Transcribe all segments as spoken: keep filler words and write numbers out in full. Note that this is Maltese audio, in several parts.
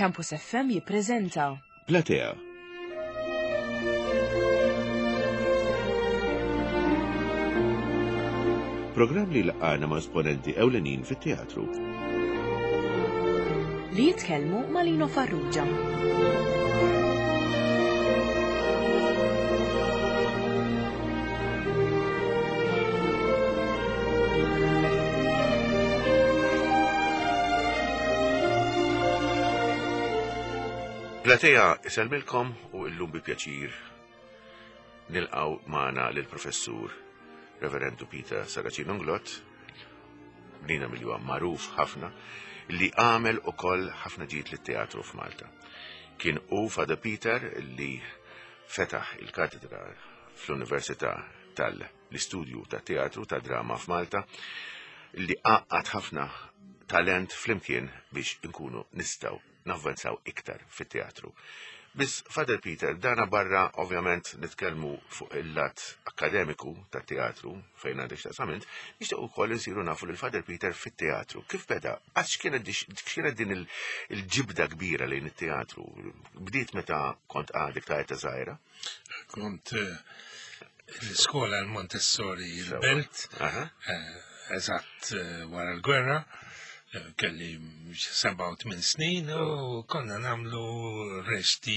Campus F M jippreżenta Platea. Programm li laqana ma' esponenti ewlenin fit-teatru. Li jitkellmu ma' Lino Farrugia. Platea isellmilkom u illum bi pjaċir nilqaw magħna lil professur Reverendu Peter Saracino Nglott, bnina milli huwa magħruf ħafna, li għamel ukoll ħafna ġid lit-teatru f'Malta. Kien u Father Peter li fetaħ il-katedra fl-Università tal-Istudju ta' Teatru ta' Drama f'Malta, li għaqqad ħafna talent flimkien biex inkunu nistgħu navvanzaw iktar fit-teatru. Biss Father Peter, dana barra ovvjament nitkellmu fuq il-lat akademiku tat teatru fejn għandek x'taqsam int, nixtieq ukoll insiru nafu lil Father Peter fit-teatru. Kif beda? Għax kienet kienet din il-ġibda kbira lejn it-teatru? Bdiet meta kont għadek ta' età żgħira? Kont eh, l-iskola l-Montessori il-Belt, eh, eżatt eh, wara l-gwerra, kelli seba' u tmien snin u konna nagħmlu reċti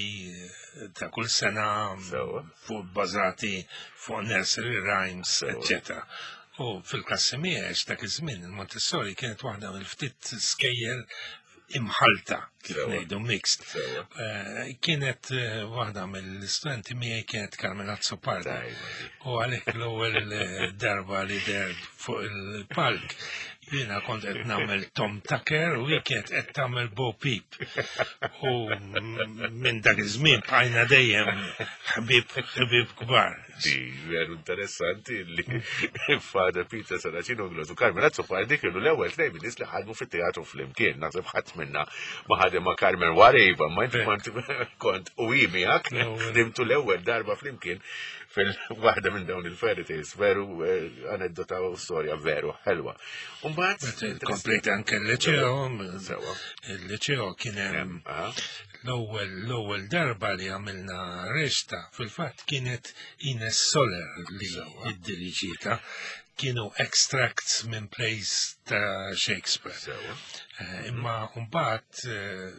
ta' kull sena fuq bażati fuq nursery rhymes, eccetera. U fil-klassi miegħi dak iż-żmien il-Montessori kienet waħda mill-ftit skejjel imħalta, kif ngħidu mixed. Eh, kienet eh, waħda mill-istudenti miegħi kienet Carmen Azzopardi. U għalhekk l-ewwel eh, darba li der fuq il-palk jiena kont qed nagħmel Tom Tucker u hi kienet qed tagħmel Bo Peep. U minn dak iż-żmien bqajna dejjem ħbib ħbib kbar. Di veru interessanti li Father Peter Saracino Nglott u Carmen Azzopardi kienu l-ewwel tnejn min-nies li ħadmu fit-teatru flimkien. Naħseb ħadd minna ma ħadem ma' Carmen wara iva, ma inti kont kont u hi miegħek ħdimtu l-ewwel darba flimkien fil-waħda minn dawn il-fairy tales. Veru eh, aneddota u storja veru ħelwa. Umbagħad Komplejt anke l-liceo, il-liceo kien hemm l-ewwel l-ewwel darba li għamilna reċta fil-fatt kienet Ines Soler li iddiriġietha, kienu extracts minn plays ta' Shakespeare. Eh, imma mbagħad eh,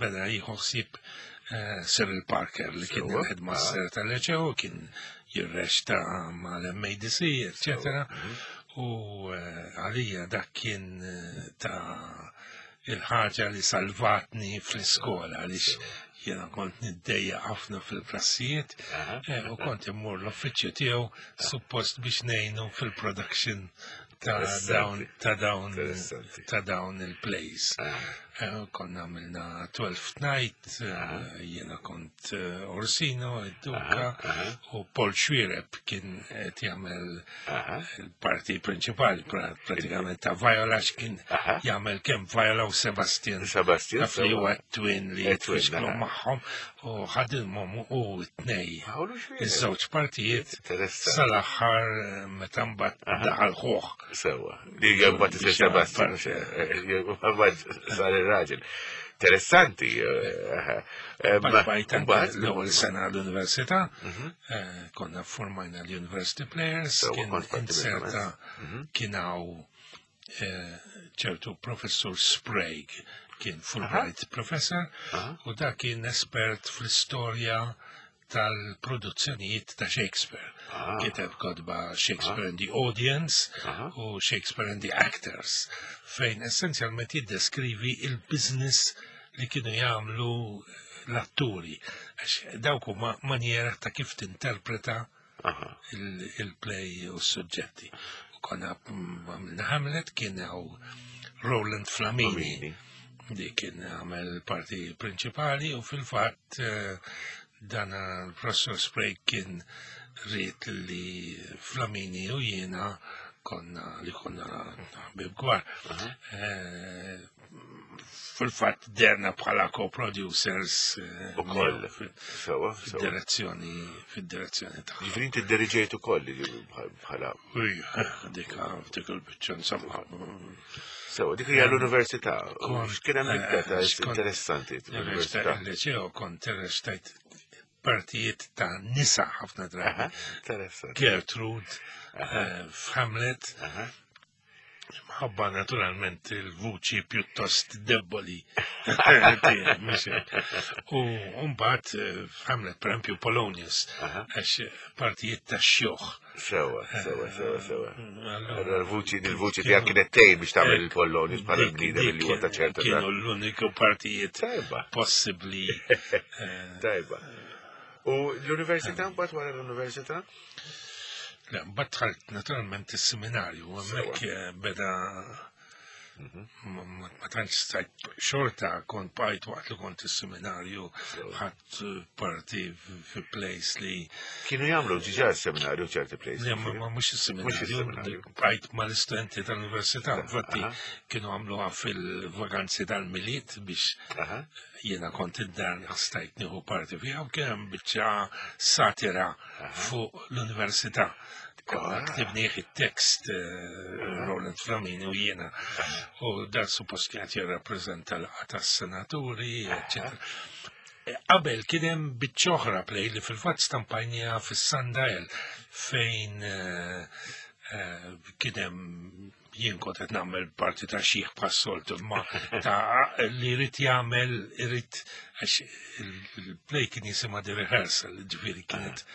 beda jieħu ħsieb eh, Cyril Parker li kien il-headmaster tal-liceo, kien jirreċta mal-M A D C, eccetera. Mhm. U għalija dak kien ta' il-ħaġa li salvatni fl-iskola għaliex jiena kont niddejja ħafna fil-klassijiet eh, u kont immur l-uffiċċju tiegħu suppost biex ngħinu fil-production ta' dawn ta' dawn ta' dawn il-plays. Eh, konna għamilna Twelfth Night, eh, jiena kont Orsino, id-Duka, u Paul Xuereb kien qed jagħmel il-parti prinċipali pratikament ta' Viola, kien jagħmel kemm Viola u Sebastian. Sebastian. Taf li huwa twin li jitfixklu magħhom u ħadilhom u t-tnej. Iż-żewġ partijiet sal-aħħar meta mbagħad daħal ħuh. Sewa. Li mbagħad isir Sebastian. Sar ir-raġel. Interessanti. Mbagħad l-ewwel sena l-università, mhm. eh, konna formajna l-University Players, kien inserta mhm. kien hawn eh, ċertu professur Sprague, kien Fulbright professor, u da kien espert fl-istorja tal-produzzjonijiet ta' Shakespeare. Ah. Kiteb kotba Shakespeare and the Audience u Shakespeare and the Actors, fejn essenzjalment jiddeskrivi il-business li kienu jagħmlu l-atturi. Għax dawk huma manjera ta' kif tinterpreta il-play u s-suġġetti. U konna għamilna Hamlet, kien hawn Roland Flamini li kien għamel parti prinċipali u fil-fatt eh, dana l-professor Sprague kien ried li Flamini u jiena Konna li konna ħbieb kbar. Eh, Fil-fatt dehrna bħala co-producers eh, Ukoll. miegħu fil- Sewa, sewa. fid-direzzjoni fid-direzzjoni tagħha. Ġifieri inti diriġejt ukoll li bħala. Ija, dik dik il-biċċa insomma. Sewa, dik hija l-università. Kont- X'kien hemm iktar ta' eh, xkont- interessanti l-università? Il-liceo kont irreċtajt partijiet ta' nisa ħafna drabi. Aha, Interessanti. Gertrude, eh, f'Hamlet, Aha. Ħabba naturalment il-vuċi pjuttost deboli. Tiegħi, mhux hekk. U mbagħad eh, f'Hamlet, per esempio, Polonius, Aha. għax partijiet ta' xjuħ. Sewa, sewa, sewa, sewa. Allora, Allora l-vuċi, il-vuċi tiegħek kienet tgħin biex tagħmel il-Polonius bħala dik- bniedem dik li huwa ta' ċerta Kienu l-uniku partijiet Tajba, possibbli. eh, tajba. U l-università, mbagħad wara l-università? Le, mbagħad dħalt naturalment is-seminarju, u hemmhekk eh, beda Mhm. ma ma- ma tantx stajt xorta kont bqajt waqt li kont is-seminarju ħadt eh, parti fi plays li Kienu jagħmlu diġà s-seminarju ċerti plays. Le, ma ma mhux Mhux is-seminarju, is-seminarju. bqajt mal-istudenti tal-università, infatti Aha. kienu għamluha fil-vaganzi tal-Milied biex Aha. jiena kont id-dar stajt nieħu parti fiha u kien hemm biċċa satira fuq l-università. Konna Ah. ktibnieh it-tekst eh, Roland Flamini u jiena. U dan suppost kienet jirrappreżenta laqgħa tas-senaturi, eccetera. Qabel kien hemm biċċa oħra play li fil-fatt stampajnija fis-Sundial fejn eh, eh, kien hemm jien kont qed nagħmel parti ta' xiħ bħas-soltu ma ta' li jrid jagħmel irid għax il-play kien jisimha The Rehearsal, ġifieri kienet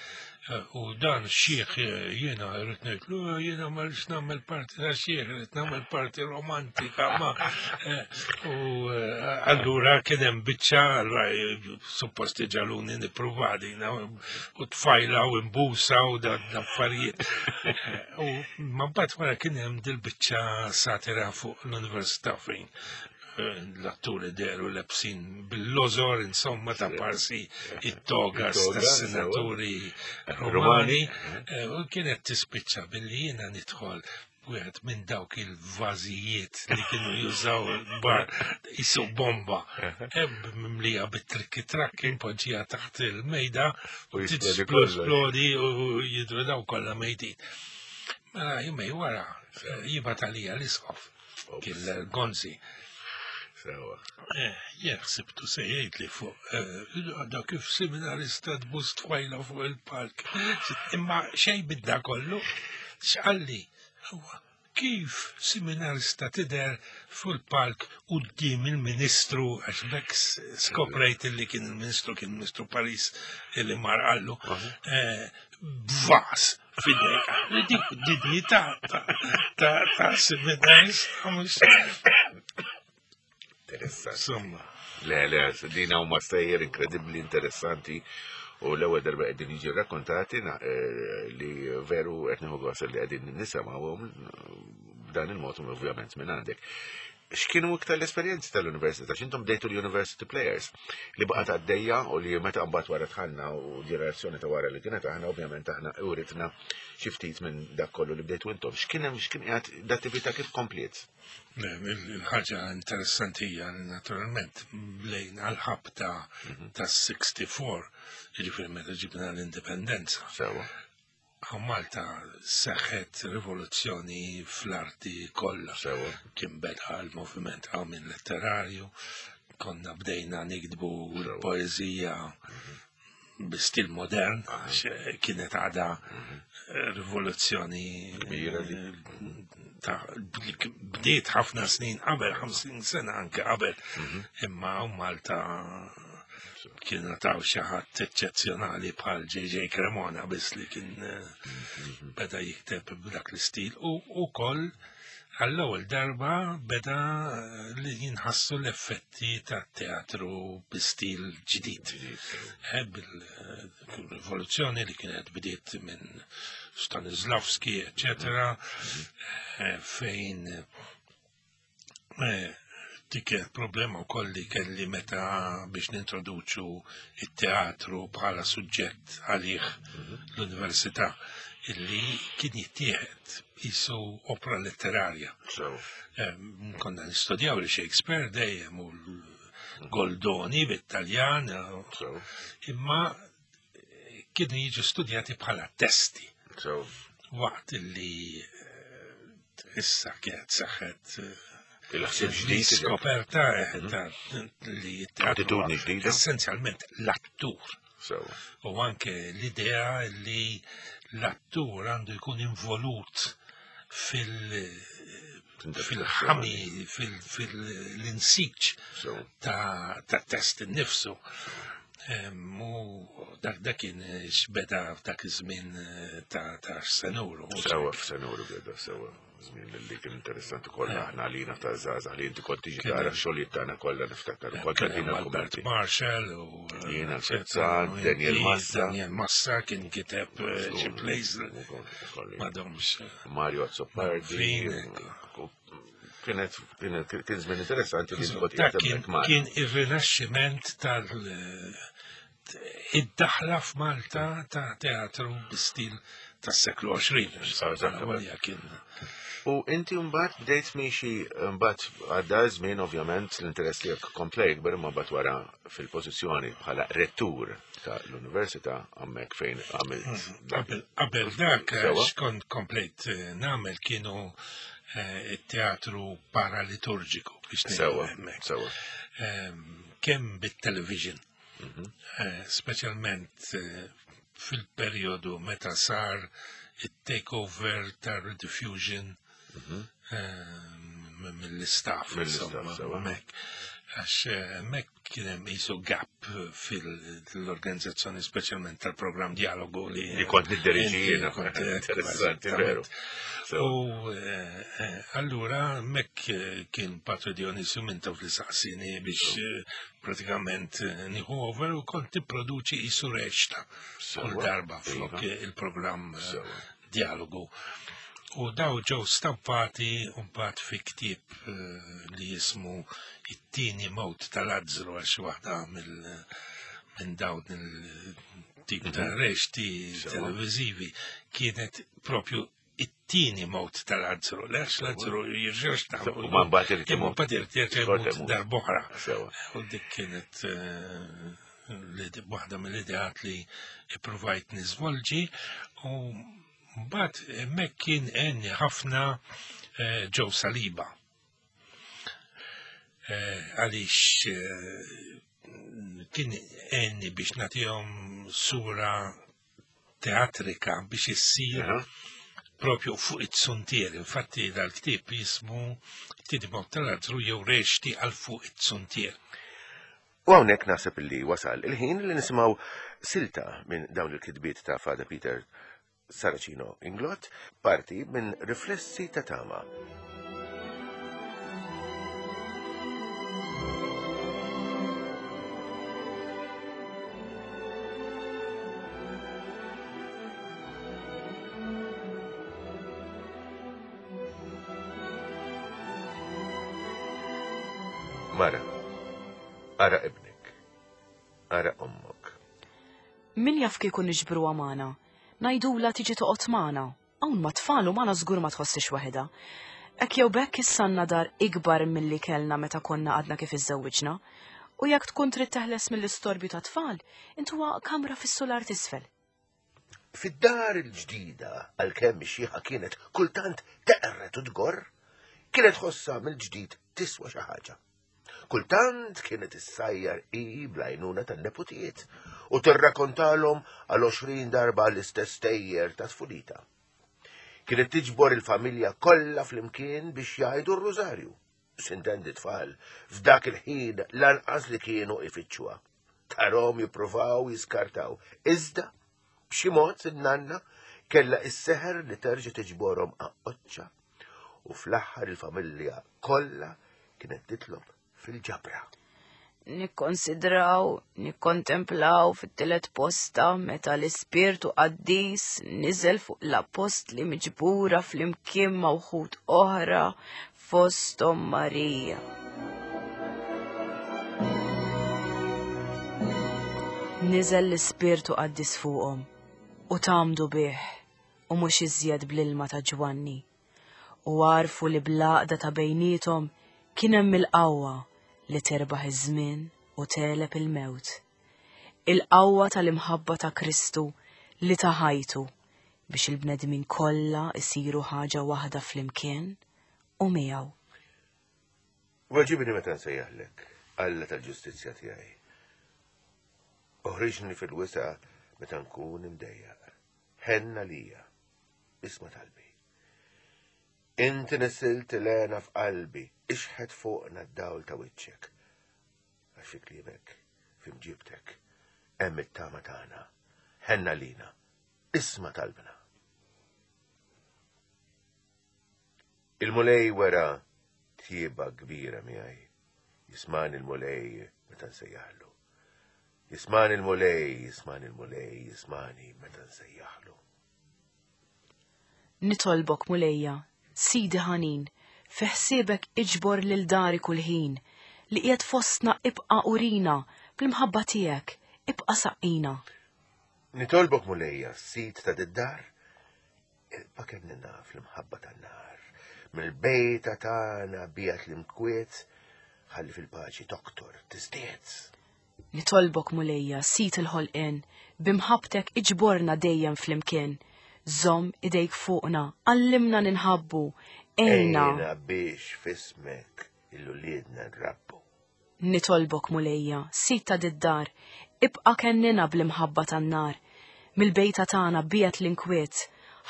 eh, u dan xiħ eh, jiena rrid ngħidlu "Eh, jiena ma rridx nagħmel parti ta' xiħ, rrid nagħmel parti romantika ma eh, u eh, allura kien hemm biċċa allura eh, suppost ġagħluni nipprova din u tfajla u imbusa u da affarijiet. Eh, U ma mbagħad wara kien hemm dil-biċċa satira fuq l-università fejn eh, l-atturi dehru lebsin bil-lożor, insomma, ta' parsi it-togas It-toga, tas-senaturi Romani. Romani. Eh, U kienet tispiċċa billi jiena nidħol wieħed minn dawk il-vażijiet li kienu jużaw il-bar jisu bomba. Ebb mimlija bit-trikki trakki npoġġija taħt il-mejda U jisplodi kollox. tisplodi u jidru daw kollha mejdin. Mela jumejn wara eh, jibgħat għalija l-isqof kien Gonzi. Sewa. Eh, Jien ħsibtu se jgħid li fuq eh, da kif seminarista tbus tfajla fuq il-palk. Imma xej bidda kollu, x'qalli, huwa kif seminarista tidher fuq il-palk quddiem il-ministru, għax bekk skoprejt li kien il-ministru, kien il-ministru Paris illi mar qallu, eh, b'vas f'idejk. Li dik dinjità ta' ta' ta' seminarista mhux Interessanti. insomma. Le, le, dina huma stejjer inkredibbli interessanti u l-ewwel darba qegħdin jiġi rrakkontati na- eh, li veru qed nieħu gost li qegħdin nisimgħuhom b'dan il-mod u ovvjament minn għandek. X'kienu iktar l-esperjenzi tal-università? X'intom bdejtu l-university players li baqgħet għaddejja u li meta mbagħad wara dħalna u ġenerazzjoni ta' wara li kienet aħna ovvjament aħna uritna xi ftit minn dak kollu li bdejtu intom. X'kien hemm x'kien qiegħed d-attività kif kompliet? Le, il- Il-ħaġa interessanti hija li naturalment lejn għal-ħabta ta' sitta u sittin, jiġifieri meta ġibna l-indipendenza. Sewa. Hawn Malta seħħet rivoluzzjoni fl-arti kollha. Sewa. Kien beda l-moviment għamin letterarju, konna bdejna nikdbu l-poezija bi stil modern, għax kienet għada rivoluzzjoni Kbira li. ta' li bdiet ħafna snin qabel, ħamsin sena anke qabel, imma hawn Malta kienu taw xi ħadd eċċezzjonali bħal J J. Cremona biss li kien eh, beda jikteb b'dak l-istil u ukoll għall-ewwel darba beda eh, li jinħassu l-effetti ta' teatru bi stil ġdid. Eh, Bil-rivoluzzjoni li kienet bdiet minn Stanislavski, eccetera, eh, fejn eh, Dik kienet problema wkoll li kelli meta biex nintroduċu it-teatru bħala suġġett għalih l-università illi kien jittieħed qisu opra letterarja. Sew. Em, Konna nistudjaw li Shakespeare dejjem u l-Goldoni bit-Taljan, Sew. imma kienu jiġu studjati bħala testi Sew. waqt illi eh, issa kienet saħħet eh, Il-ħsieb ġdid. Skoperta eh, ta' li t-teatru Attitudni ġdida. Essenzjalment l-attur. Sew. U anke l-idea li l-attur għandu jkun involut fil- fil-ħami, fil-insiġ Sew. ta' ta' test innifsu. Em, U dak dak kien xbeda f'dak iż-żmien eh, ta' ta' Senuru. Sewa f'Senuru beda sewa. Żmien li kien interessanti kollha aħna għalina ta' żgħażagħ li inti kont tiġi Kien tara hemm. xogħlijiet tagħna kollha niftakar ukoll Kien tagħtina hemm Albert l-kummenti. Marshall u Jiena, eh, Fezzan, u Daniel inti, Massa. Daniel Massa kien kiteb eh, xi plays Ukoll. m'għadhomx. Mario Azzopardi. Fin. Kienet kienet kien żmien interessanti li kont Dak qiegħed kien hemmhekk magħna. kien ir-rinaxximent tal id-daħla f'Malta ta' teatru bi-stil tas-seklu għoxrin. Eżattament. Għalija kien U inti mbagħad bdejt miexi mbagħad għadda żmien ovvjament l-interess tiegħek kompla jikber imma mbagħad wara fil-pożizzjoni bħala rettur ta' l-università hemmhekk fejn għamilt dak. Qabel qabel dak Sewa. x'kont komplejt eh, nagħmel kienu eh, it-teatru paraliturġiku biex ngħidu Sewa, hemmhekk. sewa. Ehm, Kemm bit-television, Mhm. eh, speċjalment eh, fil-perjodu meta sar it-takeover ta' Rediffusion ehm, mill-istaff. Mill-istaff, insomma, sewa. hemmhekk. Għax eh, hemmhekk kien hemm qisu gap fil-organizzazzjoni speċjalment tal-programm Dialogu li Li kont nidderiġi inti jiena. kont, eh, Interessanti, eżattament. veru. Sewa. U eh, eh, allura hemmhekk eh, kien Patri Dionisju Mintoff li saqsini biex eh, pratikament eh, nieħu over u kont tipproduċi qisu reċta kull Sewa. darba flok Iva. eh, il-programm eh, Sewa. Dialogu. U daw ġew stampati mbagħad fi ktieb eh, li jismu It-tieni mewt tal-Azzru għax waħda mill minn dawn il-tip ta' reċti Sewa. televizivi kienet propju it-tieni mewt tal-Azzru. Lex l-Azzru jirġax ta' U ma mbagħad irid Imma imut. mbagħad irid jerġa' Xorta jmut imut. darb'oħra. Sewa. U dik kienet eh, l-ide- waħda mill-ideat li ippruvajt niżvolġi u mbagħad hemmhekk kien għenni ħafna eh, Joe Saliba. Eh, Għaliex eh, kien għenni biex nagħtihom sura teatrika biex issir Aha. propju fuq it-suntier. Infatti dal-ktieb jismu It-tieni mewt tal-Azzru jew reċti għal fuq it-suntier. U hawnhekk naħseb li wasal il-ħin li nisimgħu silta minn dawn il-kitbiet ta' Father Peter Saracino Inglott, parti minn Riflessi ta' Tama. Mara, ara ibnek, ara ommok. Min jaf kieku niġbru magħna? Ngħidula tiġi toqgħod magħna. Hawn ma tfal u magħna żgur ma tħossix waħedha. Hekk jew bekk issa għandna dar ikbar milli kellna meta konna għadna kif iżżewwiġna. U jekk tkun trid teħles mill-istorbju ta' tfal, intuha kamra fis-solar t'isfel. Fid-dar il-ġdida, għalkemm ix-xieħa kienet kultant teqret u tgorr, kienet ħossa mill-ġdid tiswa xi ħaġa. Kultant kienet issajjar i bl-għajnuna tan-neputijiet u tirrakkontalhom għal għoxrin darba l-istess stejjer ta' tfulita. Kienet tiġbor il-familja kollha flimkien biex jgħidu r-rużarju. Sintendi tfal, f'dak il-ħin lanqas li kienu ifittxuha. Tarhom jippruvaw jiskartaw. Iżda, b'xi mod in-nanna kellha is-seħer li terġa' tiġborhom aqoċċa u fl-aħħar il-familja kollha kienet titlob fil-ġabra. Nikkonsidraw, nikkontemplaw fit-tielet posta meta l-ispirtu qaddis niżel fuq l-appostli miġbura flimkien ma' wħud oħra fosthom Marija. Niżel l-Ispirtu Qaddis fuqhom u tgħammdu bih u mhux iżjed bl-ilma ta' Ġwanni. U għarfu li bl-għaqda ta' bejniethom kien hemm il-qawwa li terbaħ iż-żmien u tegħleb il-mewt. Il-qawwa tal-imħabba ta' Kristu li ta ħajtu biex il-bnedmin kollha isiru ħaġa waħda flimkien u miegħu. Weġibni meta nsejjaħlek, Alla tal-ġustizzja tiegħi. Oħriġni fil-wisa' meta nkun imdejjaq. Ħenn għalija, isma' talbi. Inti nissilt l-hena f'qalbi, ixħet fuqna d-dawl ta' wiċċek. Għax fi kliemek, fi mġibtek, hemm it-tama tagħna. Ħenn għalina, isma' talbna. Il-Mulej wera tjieba kbira miegħi. Jismani l-Mulej meta nsejjaħlu. Jismani l-Mulej, jismani l-Mulej, jismani meta nsejjaħlu. Nitolbok, Mulejja, Sidi ħanin, fi ħsiebek iġbor lil dari kull ħin, li qiegħed fostna ibqa' urina, bl-imħabba tiegħek ibqa' saqqina. Nitolbok, Mulejja, Sid ta' did-dar, ibqa' kennina fl-imħabba tan-nar. Mill-bejta tagħna bijat l-imkwiet, ħalli fil-paċi toktor tiżdied. Nitolbok, Mulejja, Sid il-ħolqien, b'imħabbtek iġborna dejjem flimkien. Żomm idejk fuqna, għallimna ninħabbu, ejna. Ejna biex fismek il-uliedna nrabbu. Nitolbok, Mulejja, Sid ta' did-dar, ibqa' kennina bl-imħabba tan-nar. Mill-bejta tagħna biegħet l-inkwiet,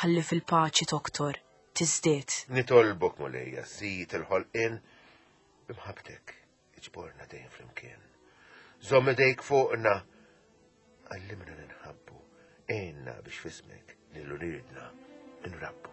ħalli fil-paċi toktor tiżdied. Nitolbok, Mulejja, Sid il-ħolqien, b'imħabbtek iġborna dejjem flimkien. Żomm idejk fuqna, għallimna ninħabbu, ejna biex fismek lil uliedna nrabbu.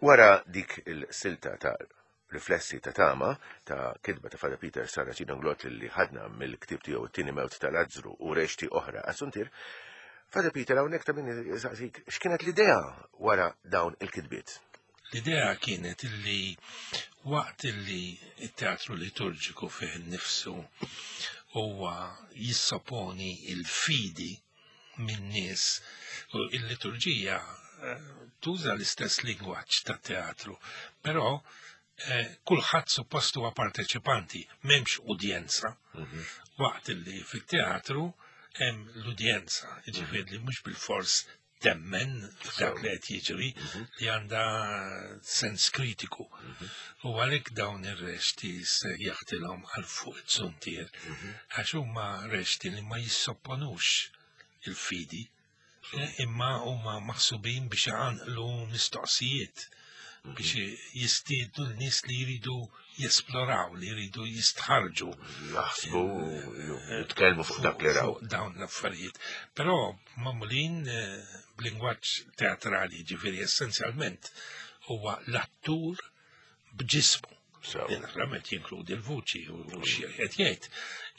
Wara dik il-silta ta' riflessi ta' tama ta' kitba ta' Father Peter Saracino Inglott li ħadna mill-ktib tiegħu it-tieni mewt ta' Lazzru u rexti oħra għas-suntier, Father Peter hawnhekk ta' min jisaqsik x'kienet l-idea wara dawn il-kitbiet? L-idea kienet illi waqt illi it-teatru liturġiku fih innifsu huwa jissoponi il-fidi min-nies u il-liturġija tuża l-istess lingwaġġ tat-teatru, però eh, kulħadd suppost huwa parteċipanti, m'hemmx udjenza. Waqt li fit-teatru hemm l-udjenza, jiġifieri li mhux bil-fors temmen f'dak li qed jiġri, li għandha sens kritiku. U għalhekk dawn ir-rexti se jaħtilhom għal fuq it-suntier, għax huma rexti li ma jissopponux il-fidi, imma huma maħsubin biex iqanqlu mistoqsijiet, biex jistiednu l-nies li jridu jesploraw, li jridu jistħarġu. Jaħsbu, jitkellmu fuq dak li raw. Fuq dawn l-affarijiet. Però magħmulin b'lingwaġġ teatrali, ġifieri essenzjalment huwa l-attur b'ġismu. Naturalment jinkludi l-vuċi u xi qed jgħid.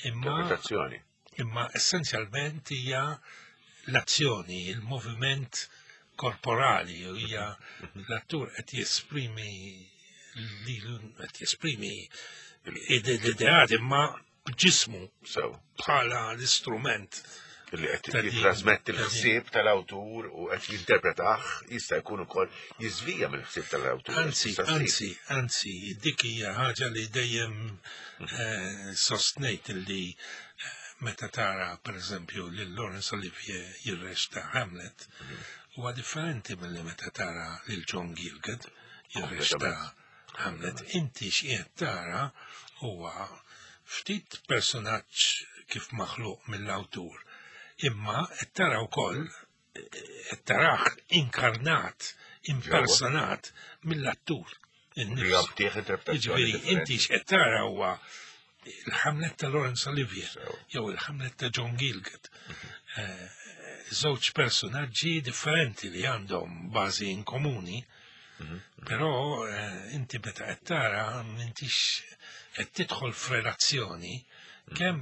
Imma Interpretazzjoni. Imma essenzjalment hija l-azzjoni, il-moviment korporali, u hija l-attur qed jesprimi lilu, qed jesprimi l-ideat imma b'ġismu Sew. bħala l-istrument Li qed ta' din- jitrasmetti ta' din. l-ħsieb tal-awtur u qed jinterpretah, jista' jkun ukoll jiżvija mill-ħsieb tal-awtur. Anzi, Tista' ssir. anzi, anzi, dik hija ħaġa li dejjem eh, sostnejt li eh, meta tara per eżempju lil Laurence Olivier jirrexta Hamlet, huwa differenti milli meta tara lil John Gielgud jirrexta Hamlet. Inti x'qiegħed tara huwa ftit personaġġ kif maħluq mill-awtur, imma qed tara wkoll qed tarah inkarnat, impersonat mill-attur Li innifsu. jagħtih interpretazzjoni Jiġifieri differenti. inti x'qed tara huwa il-Hamlet ta' Laurence Olivier Sew. jew il-Hamlet ta' John Gielgud. Eh, Żewġ personaġġi differenti li għandhom bażi in komuni, Però eh, inti meta qed tara m'intix qed tidħol f'relazzjoni kemm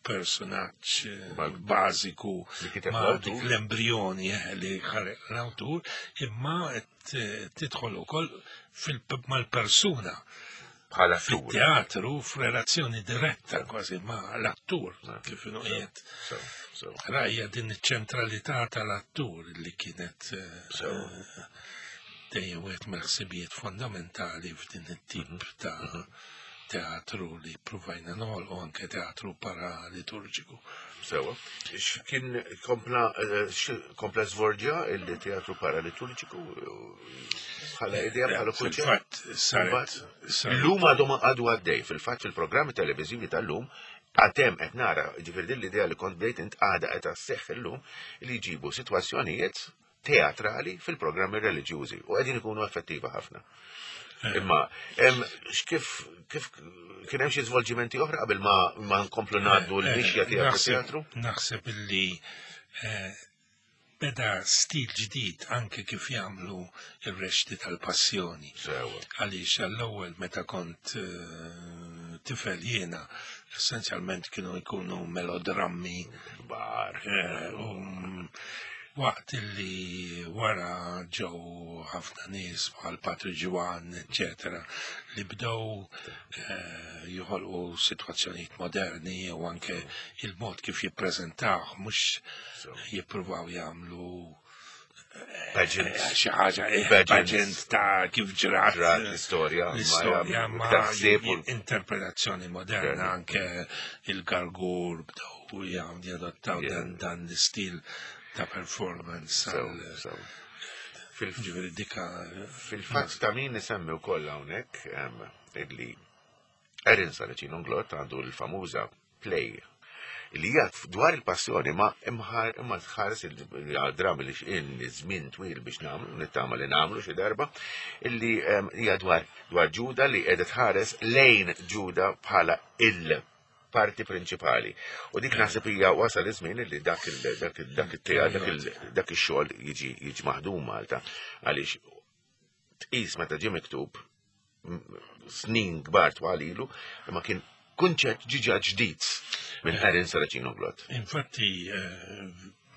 mal-personaġġ eh, Mal- bażiku Li kiteb ma' l-awtur. dik l-embrjoni eh, li ħareq l-awtur, imma qed eh, tidħol ukoll fil- mal-persuna Bħala attur. fit-teatru f'relazzjoni diretta kważi ma' l-attur kif inhu qiegħed. So, so. Rajja din iċ-ċentralità tal-attur li kienet eh, So. eh, dejjem wieħed mill-ħsibijiet fondamentali f'din it-tip Mhm. ta' teatru li provajna noħolqu anke teatru paraliturġiku. Sewa. X'kien kompla eh, x- kompla żvolġa il-teatru paraliturġiku bħala idea bħala kunċett? Fil-fatt saret saret- Illum għadu ma għadu għaddej, fil-fatt fil-programmi televiżivi tal-lum, għatem qed nara, ġifieri din l-idea li kont bdejt int għada qed sseħħ illum li jġibu sitwazzjonijiet teatrali fil-programmi reliġjużi u qegħdin ikunu effettiva ħafna. Imma em, x'kif kif kien hemm xi żvolġimenti oħra qabel ma ma nkomplu ngħaddu l-mixja Eh, tiegħek naħseb- teatru? Naħseb illi eh, beda stil ġdid anke kif jagħmlu ir-reċti tal-passjoni. Sewa. Għaliex għall-ewwel meta kont eh, tifel jiena, essenzjalment kienu jkunu melodrammi Kbar. eh, u waqt illi wara ġew ħafna nies bħal Patri Ġwan, eccetera, li bdew eh, joħolqu sitwazzjonijiet moderni u anke il-mod kif jippreżentaw, mhux So. jippruvaw jagħmlu Pageant. eh, xi ħaġa eh, Pageant. pageant ta' kif ġrat Ġrat l-istorja, ma l-istorja ma iktar ħsieb u- interpretazzjoni moderna Moderna. anke il-gargur bdew jagħmlu jadottaw Yeah. dan dan l-istil ta' performance So, għal- so. Fil- ġifieri dika Fil-fatt ta' min nisemmi wkoll hawnhekk em, illi Erin Saracino Nglott għandu l-famuża play li hija dwar il-passjoni ma imħar imma tħares il-dram li x'in żmien twil biex nagħmlu nittama li nagħmlu xi darba illi em, hija dwar dwar Ġuda li qiegħda tħares lejn Ġuda bħala il parti prinċipali. U dik naħseb hija wasal iż-żmien li dak il dak il dak it-tea dak il dak ix-xogħol jiġi jiġi maħdum Malta għaliex tqis meta ġie miktub m- snin kbar twal ilu imma kien kunċett ġiġa ġdid minn Erin Saracino Glott. Infatti eh,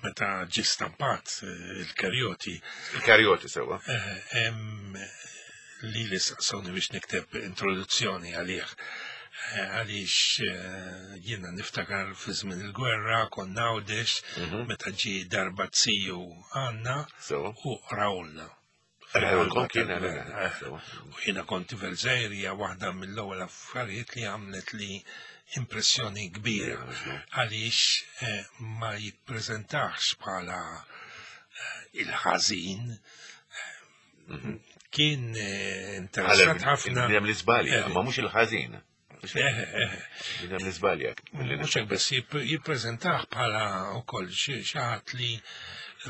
meta ġie stampat eh, il-Karjoti Il-Karjoti sewa. eh, hemm li li saqsawni biex nikteb introduzzjoni għalih. Eh, Għaliex eh, jiena niftakar fi żmien il-gwerra konna Għawdex Mhm. meta ġie darba ziju għandna Sewa. u qrawlna. Qrawlkom kien, Tal-gwerra, eh, sewa. U jiena kont tifel żgħir hija waħda mill-ewwel affarijiet li għamlet li impressjoni kbira għaliex eh, ma jippreżentax bħala eh, il-ħażin eh, kien eh, interessat ħafna. Il-bniedem li żbalja, Eh, ma mhux il-ħażin. eh, eh, Il-bniedem li żbalja. Mhux hekk biss jipp- jippreżentah bħala wkoll xi xi ħadd li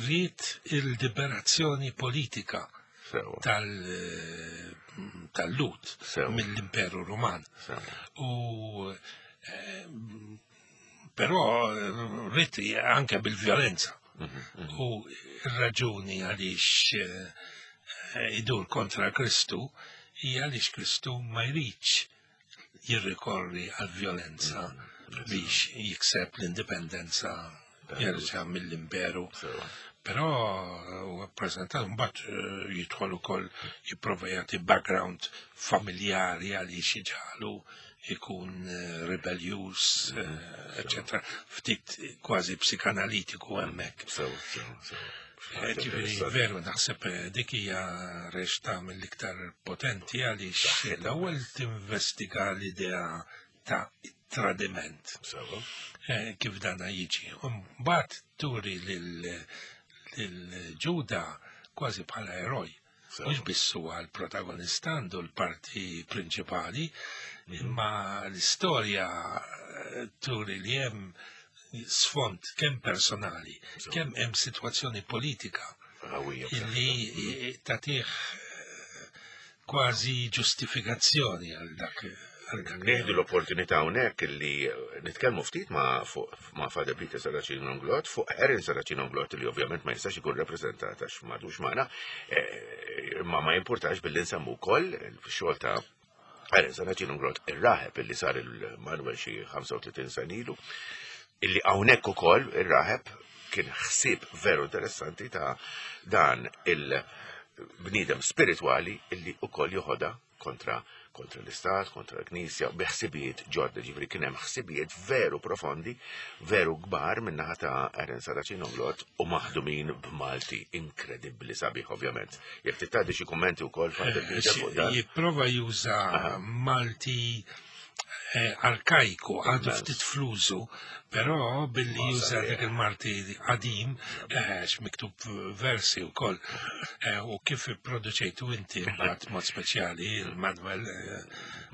ried il-liberazzjoni politika Sewa. tal- tal-Lut Sewa. mill-Imperu Ruman. Sewa. U eh, però eh, ried anke bil-vjolenza. U r-raġuni għaliex eh, eh, idur kontra Kristu hija għaliex Kristu ma jridx jirrikorri għal vjolenza biex jikseb l-indipendenza jerġa' mill-imperu. Sewa. Però huwa ppreżentat mbagħad eh, jidħol ukoll jipprova jagħti background familjari għaliex iġalu ikun eh, rebellious, eccetera, ftit kważi psikanalitiku hemmhekk. Sewa, sewa, sewa. Eh, Ġifieri, veru, naħseb eh, dik hija reċta mill-iktar potenti għaliex l-ewwel tinvestiga l-idea ta' tradiment Sewa. eh, kif dana jiġi. U mbagħad turi lil lil Ġuda kważi bħala eroj. Sewa. Mhux biss huwa l-protagonista għandu l-parti prinċipali, imma l-istorja eh, turi li hemm sfond kemm personali, Sewa. kemm hemm sitwazzjoni politika Qawwija. illi tagħtih eh, kważi ġustifikazzjoni għal dak Nieħdu l-opportunità hawnhekk li nitkellmu ftit ma' ma' Father Peter Serracino Inglott fuq Erin Serracino Inglott li ovvjament ma jistax ikun rappreżentat għax m'għadux magħna, imma ma jimpurtax billi nsemmu wkoll il-xogħol ta' Erin Serracino Inglott ir-raħeb illi sar il-Manuel xi ħamsa u tletin sena ilu, illi hawnhekk ukoll ir-raħeb kien ħsieb veru interessanti ta' dan il-bniedem spiritwali illi ukoll joħodha kontra kontra l-Istat, kontra l-Knisja, bi ħsibijiet ġodda, ġifieri kien hemm ħsibijiet veru profondi, veru kbar min-naħa ta' Erin Serracino Inglott u maħdumin b'Malti inkredibbli sabiħ ovvjament. Jekk titgħaddi xi kummenti wkoll Father Peter fuq dan. Jipprova juża Malti arkajku, għadu ftit flużu, però billi juża dak il-Malti qadim, għax miktub versi u koll, u kif produċejtu inti mbagħad mod speċjali il-Manuel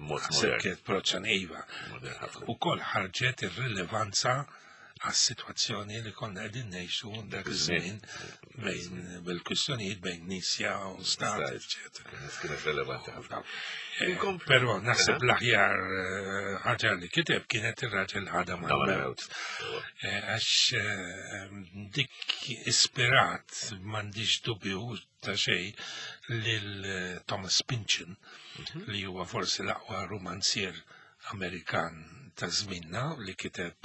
kienet proċan iva. U koll ħarġet ir-rilevanza għas-sitwazzjoni li konna qegħdin ngħixu dak iż-żmien bejn bil-kwistjonijiet bejn Knisja u Stat, eċċetera. Kienet relevanti ħafna. Però naħseb l-aħjar ħaġa li kiteb kienet ir-raġel ħadha mal-mewt. Għax dik ispirat m'għandix dubju ta' xejn lil Thomas Pynchon li huwa forsi l-aqwa romanzier Amerikan ta' żminna li kiteb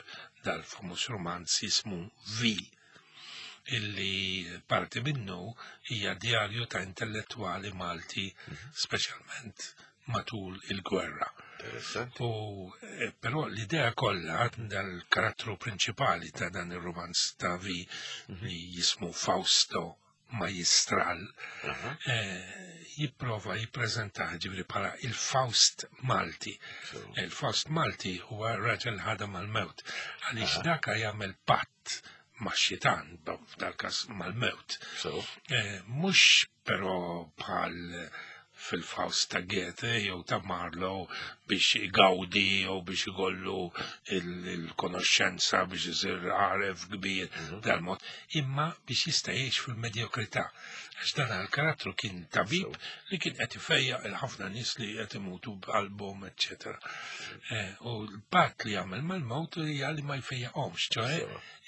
dal-famuż romanz jismu V, illi parti minnu hija djarju ta' intellettwali Malti, speċjalment matul il-gwerra. U però l-idea kollha dal-karattru prinċipali ta' dan ir-romanz ta' V li jismu Fausto Majistral, jipprova jippreżenta ġifieri bħala il-Faust Malti. Il-Faust Malti huwa raġel ħadha mal-mewt, għaliex daka jagħmel patt ma' xitan, f'dal-każ mal-mewt. Mhux però bħal fil-Faust ta' Goethe jew ta' Marlowe biex igawdi jew biex igollu il-konoxxenza biex isir għaref kbir dal-mod, imma biex jista' jgħix fil-medjokrità. Għax dan il-karattru kien tabib li kien qed ifejjaq il-ħafna nies li qed imutu b'qalbhom, eċċetera. U l-patt li jagħmel mal-mewt hija li ma jfejjaqhomx, ċoe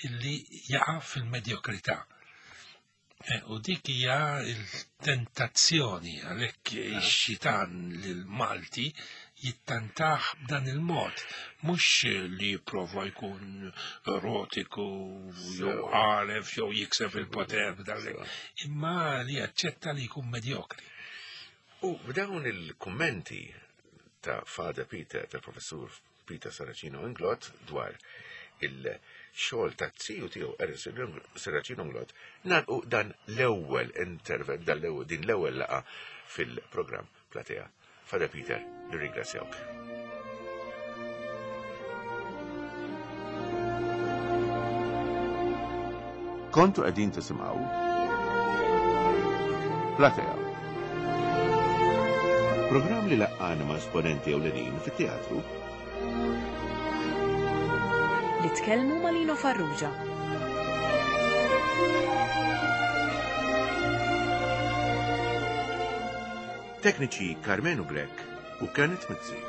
illi jaqa' fil-medjokrità. U dik hija l-tentazzjoni għalhekk ix-xitan lil Malti jittantaħ b'dan il-mod, mhux li jipprova jkun erotiku jew għaref jew jikseb il-poter b'dan, imma li jaċċetta li jkun medjokri. U b'dawn il-kummenti ta' Father Peter, tal-Professur Peter Serracino Inglott dwar il-xogħol ta' tiju tiegħu Erin Serracino Inglott, nagħlqu dan l-ewwel intervent, dan l-ewwel din l-ewwel laqgħa fil-programm Platea. Father Peter, nirringrazzjawk. Kontu qegħdin tisimgħu Platea. Programm li laqqana ma' esponenti ewlenin fit-teatru li tkellmu ma' Lino Farrugia. Tekniċi Karmenu Grech u Kenneth Mizzi.